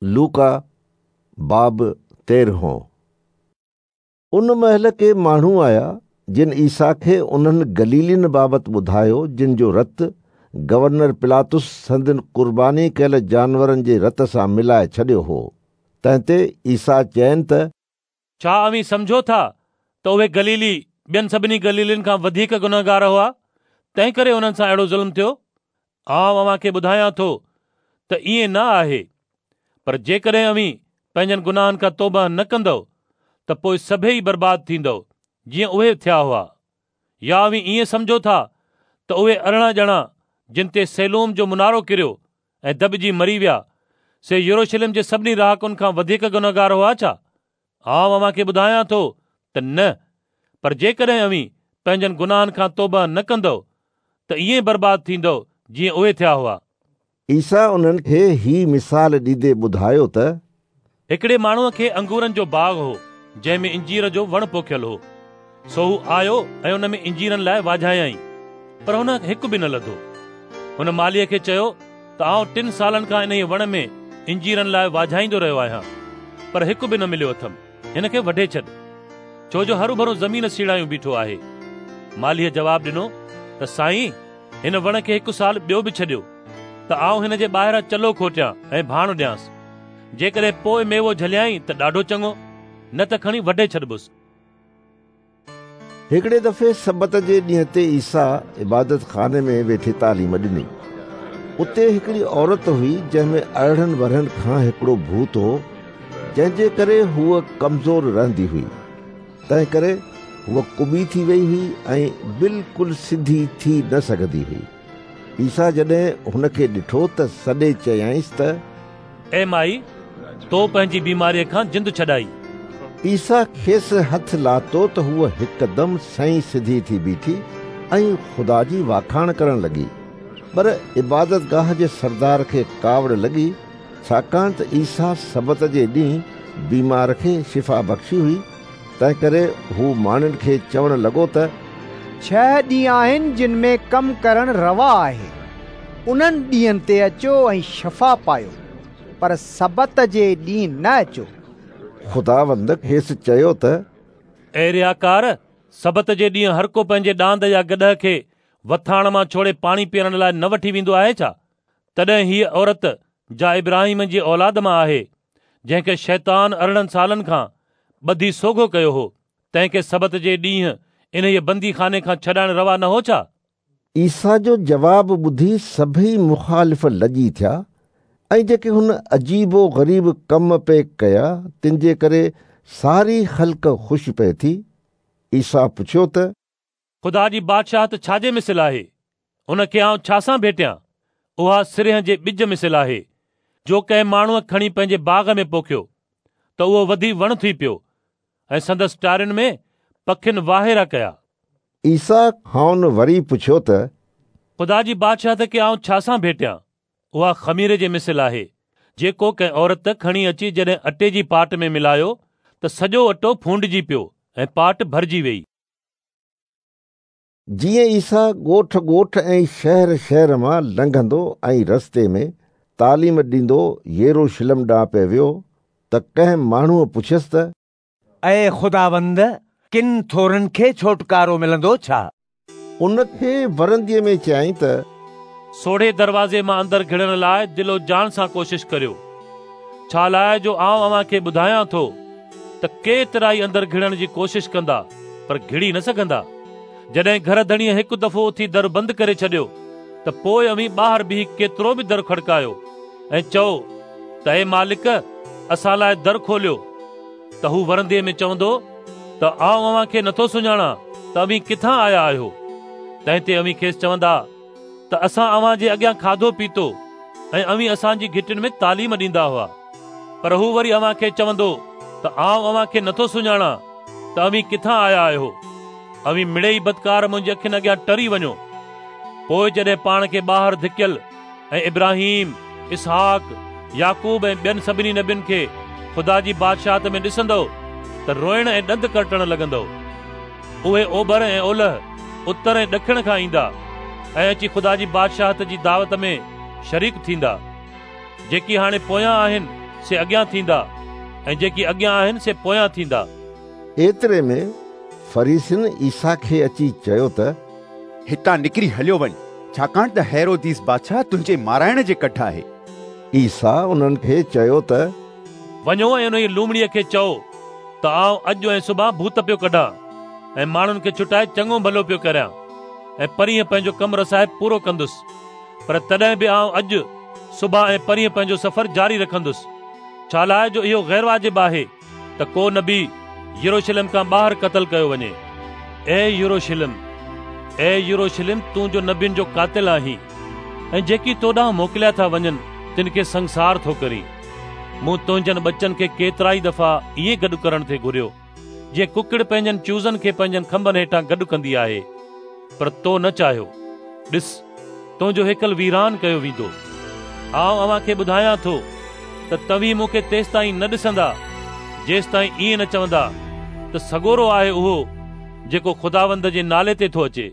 لوڪا باب تيرهون. ان مهل ڪي ماڻهو آيا، جن عيسيٰ کي انهن گليلين بابت ٻڌايو، جن جو رت گورنر پلاطس سندن قرباني ڪيل جانورن جي رت سان ملائي ڇڏيو هو. تنهن تي عيسيٰ چين ته. ڇا اوهين سمجهو ٿا ته اهي گليلي ٻين سڀني گليلين کان وڌيڪ گنهگار هئا، تنهنڪري انهن سان اهڙو ظلم ٿيو؟ آئون اوهان کي ٻڌايان ٿو ته ائين نه آهي، پر جيڪڏهن اوهين پنهنجن گناهن کان توبهه نه ڪندؤ ته پوء سڀيئي برباد ٿيندؤ، جيئن اهي ٿيا هئا. يا اوهين ائين سمجهو ٿا ته اهي 18 ڄڻا جن تي سيلوم جو منارو ڪريو ۽ دٻجي مري ويا، سي يروشلم جي سڀني رهاڪن کان وڌيڪ گنهگار هئا ڇا؟ آئون اوهان کي ٻڌايان ٿو ته نه، پر جيڪڏهن اوهين پنهنجن گناهن کان توبهه نه ڪندؤ ته ائين برباد ٿيندؤ جيئن اهي ٿيا هئا. عيسيٰ انهن کي هي مثال ڏيندي ٻڌايو ته. هڪڙي ماڻهوء کي انگورن جو باغ هو، جنهن ۾ انجير جو وڻ پوکيل هو. سو هو آيو ۽ ان ۾ انجيرن لاء واجهايائين، پر هن هڪ به نه لڌو. هن مالهيء کي چيو ته آئون 3 سالن کان انهيء وڻ ۾ انجيرن لاء واجهائيندو رهيو آهيان، پر هڪ به نه مليو اٿم. هن کي وڍي ڇڏ، ڇو جو هروڀرو زمين سيڙايون بيٺو آهي. مالهيء جواب ڏنو ته سائين، هن وڻ کي هڪ سال ٻيو به ڇڏيو ته آئون هن جي ٻاهران چلو کوٽيان ۽ ڀاڻ ڏيانس. جيڪڏهن پوء ميوو جهليائين ته ڏاڍو چڱو، نه ته کڻي وڍي ڇڏبس. هڪڙي دفعي سبت جي ڏينهن تي عيسيٰ عبادتخاني ۾ ويٺي تعليم ڏني. اتي هڪڙي عورت هئي جنهن ۾ 18 ورهين کان هڪڙو ڀوت هو، جنهن جي ڪري هوء ڪمزور رهندي هئي. تنهنڪري هوء ڪٻي ٿي وئي هئي ۽ بلڪل سڌي ٿي نه سگهندي هئي. عيسيٰ جڏهن هن کي ڏٺو ته سڏي چيائينس ته. اي مائي، تو پنهنجي بيماريء کان جند ڇڏائي. عيسيٰ کيس هٿ لاتو ته هوء هڪدم سنئين سڌي ٿي بيٺي ۽ خدا جي واکاڻ ڪرڻ لڳي. پر عبادتگاهه جي سردار کي ڪاوڙ لڳي، ڇاڪاڻ ته عيسيٰ سبت جي ڏينهن بيمار کي شفا بخشي هئي، تنهنڪري هو ماڻهن کي چوڻ لڳو ته. 6 ڏينهن آهن جن ۾ ڪم ڪرڻ روا آهي. انهن ڏينهن تي اچو ۽ شفا پايو، پر سبت جي ڏينهن نه اچو. خداوند کيس چيو ته. اي رياڪار، سبت جي ڏينهن هر ڪو پنهنجي ڏاند يا گڏهه کي وٿاڻ مان ڇوڙي پاڻي پيئڻ لاء نه وٺي ويندو آهي ڇا؟ تڏهن هيء عورت جا ابراهيم جي اولاد مان آهي، جنهن کي شيطان 18 سالن کان ٻڌي سوگهو ڪيو هو، تنهن کي سبت جي ڏينهن انهيء بنديخاني کان ڇڏائڻ روا نه هو ڇا؟ عيسيٰ جو جواب ٻڌي سڀيئي مخالف لڄي ٿيا ۽ جيڪي هن عجيب و غريب ڪم پئي ڪيا، تن جي ڪري ساري خلق خوش پئي ٿي. عيسيٰ پڇيو ته. خدا جي بادشاهت ڇا جي مثل آهي؟ ان کي آئون ڇا سان ڀيٽيان؟ اها سرنهن جي ٻج مثل آهي، جو ڪنهن ماڻهوء کڻي پنهنجي باغ ۾ پوکيو، ته اهو وڌي وڻ ٿي پيو ۽ سندس ٽارين ۾ پکين واهيرا ڪيا. عيسيٰ کانئن وري پڇيو ته. خدا جي بادشاهت کي آئون ڇا سان ڀيٽيان؟ اها خميري جي مثل آهي، جيڪو ڪنهن عورت کڻي اچي جڏهن اٽي جي پاٽ ۾ ملايو ته سڄو اٽو ڦونڊجي پيو ۽ پاٽ ڀرجي ويئي. جيئن عيسيٰ ڳوٺ ڳوٺ ۽ شهر شهر مان لنگهندو ۽ رستي ۾ تعليم ڏيندو يروشلم ڏانهن پئي ويو ته ڪنهن ماڻهوء پڇيس ته. اي خداوند، ڪن ٿورن کي ڇوٽڪارو ملندو ڇا؟ ان کي ورنديء ۾ چيائين ته. سوڙهي دروازي مان اندر گهڙڻ لاء دل و جان سان ڪوشش ڪريو، ڇالاء جو آئون اوهان کي ٻڌايان ٿو ته ڪيترائي اندر گهڙڻ جي ڪوشش ڪندا پر گهڙي نه سگهندا. جڏهن گهر ڌڻيء هڪ دفعو اٿي در بند ڪري ڇڏيو ته پوء اوهين ٻاهر بيهي ڪيترو به در کڙڪايو ۽ چئو ته اي مالڪ اسان لاء در کوليو ته هو ورنديء ۾ چوندو ته آئون اوهان کي نٿو سڃاڻان ته اوهين ڪٿان آيا آهيو. تنهن تي اوهين کيس چوندا ته اسان اوهان جي اڳيان کاڌو پيتو ۽ اوهين اسان جي گهٽين ۾ تعليم ڏيندا هئا. پر هو وري اوهان کي چوندو ته آئون اوهان کي نٿو سڃاڻان ته اوهين ڪٿان آيا آهيو. اوهين مڙيئي بدڪار منهنجي اکين اڳيان ٽري وڃو. پوء جڏهن پاڻ کي ٻاهر ڌڪيل ۽ ابراهيم، اسحاق، يعقوب ۽ ٻين سڀني نبين کي خدا جي بادشاهت ۾ ڏسندؤ ته روئڻ ۽ ڏند ڪرٽڻ لڳندؤ. اهي اوڀر ۽ اولهه، اتر ۽ ڏکڻ کان ايندا ۽ اچي خدا جي بادشاهت جي دعوت ۾ شريڪ ٿيندا. جيڪي هاڻي پويان آهن، سي اڳيان ٿيندا ۽ جيڪي اڳيان آهن سي پويان ٿيندا. ايتري ۾ فريسين عيسيٰ کي اچي چيو ته هتان نڪري هليو وڃ، ڇاڪاڻ ته هيروديس بادشاهه تنهنجي مارائڻ جي ڪڍ آهي. عيسيٰ انهن کي چيو ته وڃو ۽ انهيء لومڙيء کي چئو ته آئون اڄ ۽ سڀان ڀوت پيو ڪڍان ۽ ماڻهن کي ڇٽائي چڱو ڀلو پيو ڪريان ۽ پرينء پنهنجو ڪم رسائي پورو ڪندس، پر تڏهن به آئون اڄ، سڀان ۽ پرينء پنهنجو سفر جاري رکندس، ڇالاء جو اهو غيرواجب آهي ته ڪو نبي يروشلم کان ٻاهر قتل ڪيو وڃي. اي يروشلم، اي يروشلم، تون جو نبين جو قاتل آهين ۽ جيڪي تو ڏانهن موڪليا ٿا وڃن تن کي سنگسار ٿو ڪرين. مون تنهنجن ٻچن کي ڪيترائي دفعا ائين گڏ ڪرڻ ٿي گهريو، جيئن ڪڪڙ پنهنجن چوزن کي پنهنجن کنڀن هيٺان گڏ ڪندي آهي، پر تو نه چاهيو. ڏس، تنهنجو هيڪل ويران ڪيو ويندو. آئون اوهان کي ٻڌايان ٿو ته توهين مون کي تيستائين نه ڏسندا، جيستائين ائين نه چوندا ته سڳورو آهي اهو جيڪو خداوند جي نالي تي ٿو اچي.